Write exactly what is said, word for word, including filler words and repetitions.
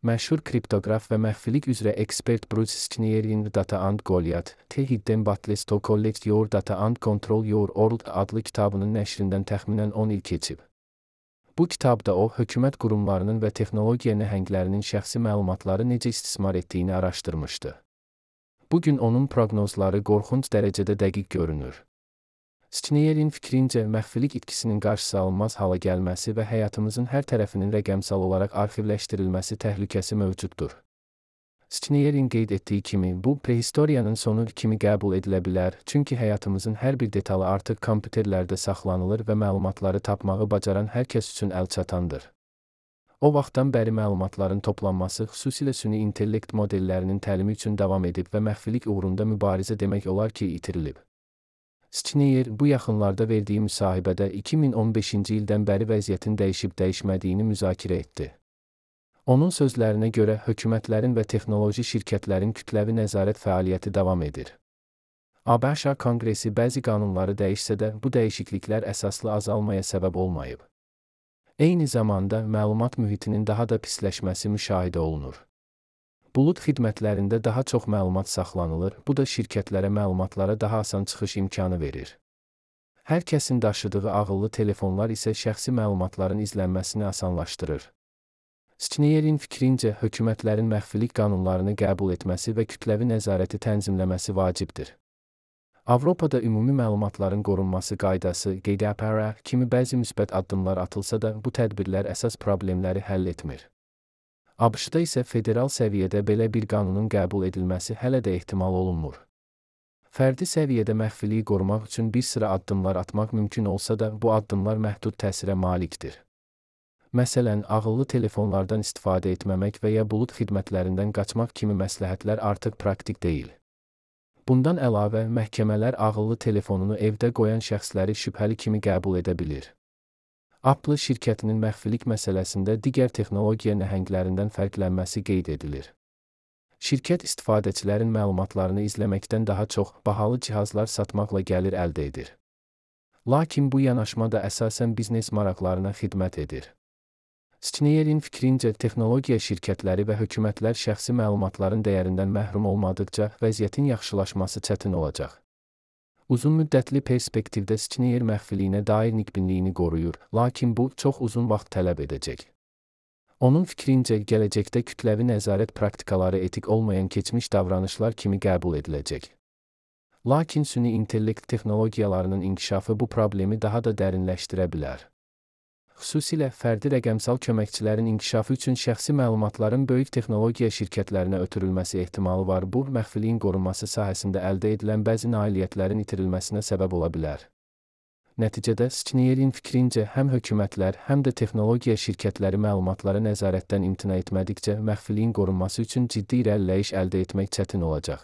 Məşhur kriptoqraf və məxfilik üzrə ekspert Bruce Schneider'in Data and Goliath, The Hidden Battles to Collect Your Data and Control Your World adlı kitabının nəşrindən təxminən on il keçib. Bu kitabda o, hökumət qurumlarının və texnologiya nəhənglərinin şəxsi məlumatları necə istismar etdiyini araşdırmışdı. Bugün onun proqnozları qorxunc dərəcədə dəqiq görünür. Schneider'in fikrincə, məxfilik itkisinin qarşısı alınmaz hala gəlməsi və həyatımızın hər tərəfinin rəqəmsal olaraq arxivləşdirilməsi təhlükəsi mövcuddur. Schneider'in qeyd etdiyi kimi, bu, prehistoriyanın sonu kimi qəbul edilə bilər, çünki həyatımızın hər bir detalı artıq kompüterlərdə saxlanılır və məlumatları tapmağı bacaran hər kəs üçün əlçatandır. O vaxtdan bəri məlumatların toplanması, xüsusilə süni intellekt modellərinin təlimi üçün davam edib və məxfilik uğrunda mübarizə demək olar ki, itirilib. Schneider bu yaxınlarda verdiyi müsahibədə iki min on beşinci ildən bəri vəziyyətin dəyişib-dəyişmədiyini müzakirə etdi. Onun sözlərinə görə, hökumətlərin və texnoloji şirkətlərin kütləvi nəzarət fəaliyyəti davam edir. ABŞ Konqresi bəzi qanunları dəyişsə də, bu dəyişikliklər əsaslı azalmaya səbəb olmayıb. Eyni zamanda, məlumat mühitinin daha da pisləşməsi müşahidə olunur. Bulut xidmətlərində daha çox məlumat saxlanılır, bu da şirkətlərə məlumatlara daha asan çıxış imkanı verir. Hər kəsin daşıdığı ağıllı telefonlar isə şəxsi məlumatların izlənməsini asanlaşdırır. Schneider'in fikrincə, hökumətlərin məxfilik qanunlarını qəbul etməsi və kütləvi nəzarəti tənzimləməsi vacibdir. Avropada ümumi məlumatların qorunması qaydası, G D P R kimi bəzi müsbət addımlar atılsa da, bu tədbirlər əsas problemləri həll etmir. ABŞ-da isə federal səviyyədə belə bir qanunun qəbul edilməsi hələ də ehtimal olunmur. Fərdi səviyyədə məxfiliyi qorumaq üçün bir sıra addımlar atmaq mümkün olsa da, bu addımlar məhdud təsirə malikdir. Məsələn, ağıllı telefonlardan istifadə etməmək və ya bulut xidmətlərindən qaçmaq kimi məsləhətlər artıq praktik deyil. Bundan əlavə, məhkəmələr ağıllı telefonunu evdə qoyan şəxsləri şübhəli kimi qəbul edə bilir. Apple şirkətinin məxfilik məsələsində digər texnologiya nəhənglərindən fərqlənməsi qeyd edilir. Şirkət istifadəçilərin məlumatlarını izləməkdən daha çox bahalı cihazlar satmaqla gəlir əldə edir. Lakin bu yanaşma da əsasən biznes maraqlarına xidmət edir. Schneider'in fikrincə, texnologiya şirkətləri və hökumətlər şəxsi məlumatların dəyərindən məhrum olmadıqca vəziyyətin yaxşılaşması çətin olacaq. Uzun müddətli perspektivdə Schneider məxfiliyinə dair nikbinliyini qoruyur, lakin bu, çox uzun vaxt tələb edəcək. Onun fikrincə, gələcəkdə kütləvi nəzarət praktikaları etik olmayan keçmiş davranışlar kimi qəbul ediləcək. Lakin süni intellekt texnologiyalarının inkişafı bu problemi daha da dərinləşdirə bilər. Xüsusilə, fərdi rəqəmsal köməkçilərin inkişafı üçün şəxsi məlumatların böyük texnologiya şirkətlərinə ötürülməsi ehtimalı var. Bu, məxfiliyin qorunması sahəsində əldə edilən bəzi nailiyyətlərin itirilməsinə səbəb ola bilər. Nəticədə, Schneider'in fikrincə, həm hökumətlər, həm də texnologiya şirkətləri məlumatlara nəzarətdən imtina etmədikcə, məxfiliyin qorunması üçün ciddi irəliləyiş əldə etmək çətin olacaq.